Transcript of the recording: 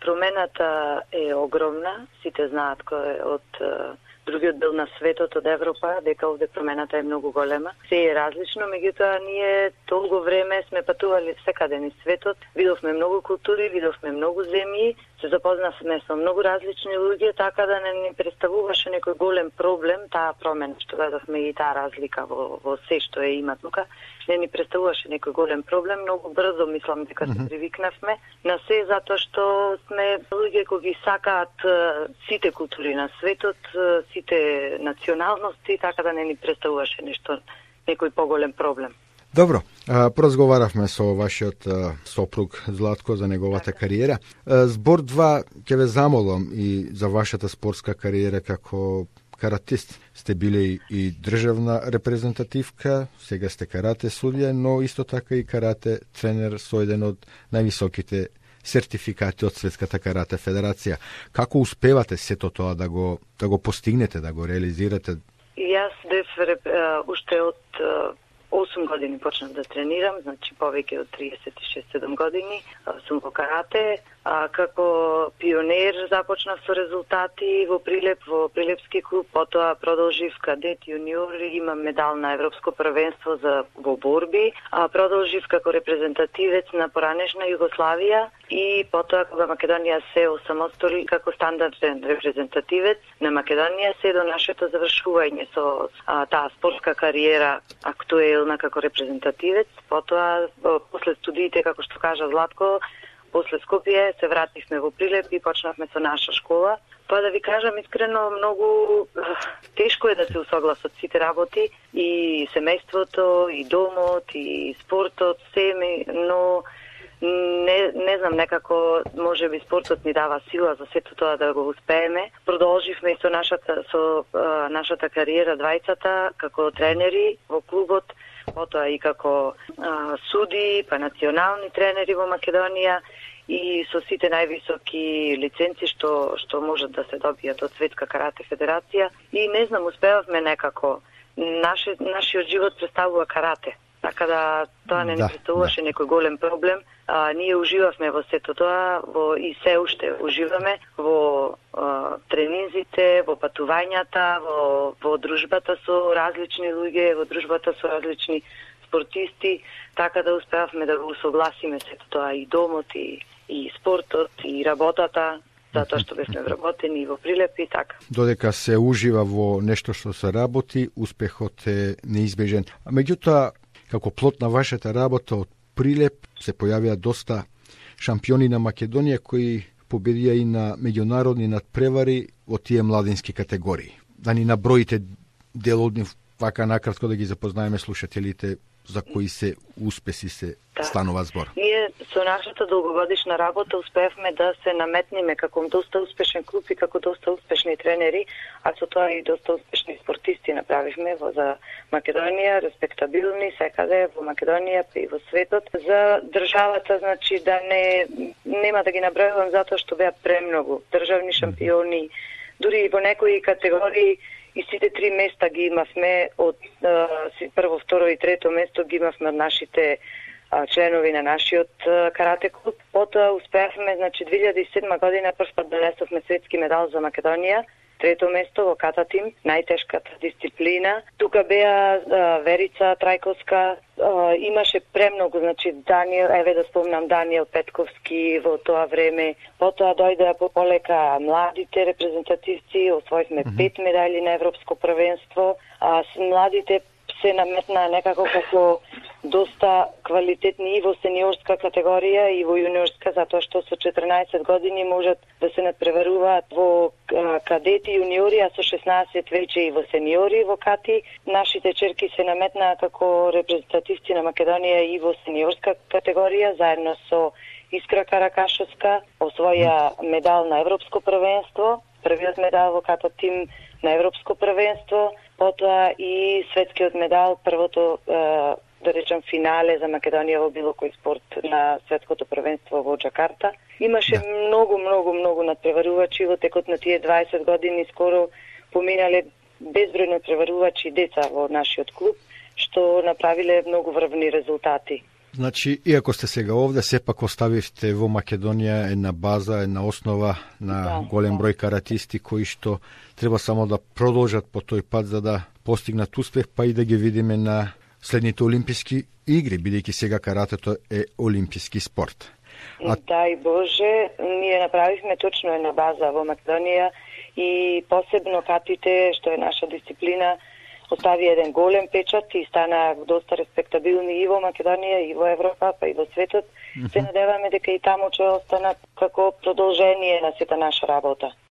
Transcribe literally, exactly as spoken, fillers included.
промената е огромна. Сите знаат кој е од другиот дел на светот, од Европа, дека овде промената е многу голема. Се е различно, меѓутоа ние толку време сме патували секаде низ светот, видовме многу култури, видовме многу земји, се запознавме со многу различни луѓе, така да не ни представуваше некој голем проблем таа промена, што гледавме и таа разлика во, во се што е има тука. Не ни представуваше некој голем проблем, многу брзо мислам дека се привикнавме на се, затоа што сме луѓе кои ги сакаат сите култури на светот, сите националности, така да не ни представуваше нешто, некој поголем проблем. Добро, поразговаравме со вашиот сопруг Златко за неговата кариера. Збор два ќе ве замолам и за вашата спортска кариера како каратист. Сте биле и државна репрезентативка, сега сте карате судија, но исто така и карате тренер со еден од највисоките сертификати од Светската карате федерација. Како успевате сето тоа да го да го постигнете, да го реализирате? Јас бев уште од осум години почнав да тренирам, значи повеќе од триесет и шест седум години сум во карате. А, како пионер започнав со резултати во Прилеп, во Прилепски клуб, потоа продолжив кадет, јуниор, имам медал на Европско првенство за во борби, а продолжив како репрезентативец на поранешна Југославија и потоа кога Македонија се осамостоли како стандарден репрезентативец на Македонија се до нашето завршување со а, таа спортска кариера актуелна како репрезентативец, потоа после студиите, како што кажа Златко, после Скопје се вративме во Прилеп и почнавме со наша школа. Па да ви кажам искрено, многу тешко е да се усогласат сите работи, и семејството, и домот, и спортот, се, но не, не знам, некако може би спортот ни дава сила за сето тоа да го успееме. Продолживме и со нашата, со а, нашата кариера двајцата како тренери во клубот, потоа и како а, суди, па национални тренери во Македонија и со сите највисоки лиценци што што можат да се добијат од Светска карате федерација. И не знам, успевавме некако. Наше, нашиот живот представува карате. Така да тоа не ни представуваше да. некој голем проблем. А, ние уживавме во сето тоа, во, и се уште уживаме во а, тренинзите, во патувањата, во, во дружбата со различни луѓе, во дружбата со различни спортисти, така да успеавме да го усогласиме сето тоа, и домот, и, и спортот, и работата, затоа што бевме вработени во Прилеп и така. Додека се ужива во нешто што се работи, успехот е неизбежен. А меѓутоа, како плод на вашата работа од Прилеп се појавија доста шампиони на Македонија кои победија и на меѓународни надпревари во тие младински категории. Да ни наброите дел од нив, вака накратко да ги запознаеме слушателите за кои се успеси се да. станува збор. Ние со нашата долгогодишна работа успеавме да се наметниме како доста успешен клуб и како доста успешни тренери, а со тоа и доста успешни спортисти направивме во за Македонија, респектабилни секаде во Македонија и во светот. За државата, значи да не нема да ги набројувам затоа што беа премногу државни шампиони, дури и во некои категории. И сите три места ги имавме од а, прво, второ и трето место ги имавме од нашите а, членови на нашиот а, карате клуб. Потоа успеавме, значи две илјади и седма година прв пат донесовме светски медал за Македонија, трето место во кататим, најтешката дисциплина. Тука беа а, Верица Трајковска, а, имаше премногу, значи Даниел, еве да спомнам Даниел Петковски во тоа време. Потоа дојдеа по полека младите репрезентативци, освоивме mm-hmm. пет медали на Европско првенство, а с младите се наметна некако како доста квалитетни и во сениорска категорија и во јуниорска, затоа што со четрнаесет години можат да се надпреваруваат во кадети јуниори, а со шеснаесет веќе и во сениори во кати. Нашите черки се наметнаа како репрезентативци на Македонија и во сениорска категорија, заедно со Искра Каракашевска, освоја медал на Европско првенство, првиот медал во кататим на Европско првенство, потоа и светскиот медал, првото да речем финале за Македонија во било кој спорт на светското првенство во Џакарта. Имаше да. многу, многу, многу надпреварувачи во текот на тие дваесет години, скоро поминале безброј надпреварувачи деца во нашиот клуб, што направиле многу врвни резултати. Значи, иако сте сега овде, сепак оставивте во Македонија една база, една основа на да, голем да. број каратисти кои што треба само да продолжат по тој пат за да постигнат успех, па и да ги видиме на следните олимписки игри, бидејќи сега каратето е олимписки спорт. А... Дај Боже, ние направивме точно една база во Македонија и посебно катите, што е наша дисциплина, остави еден голем печат и стана доста респектабилни и во Македонија, и во Европа, па и во светот. Mm-hmm. Се надеваме дека и таму ќе останат како продолжение на сета наша работа.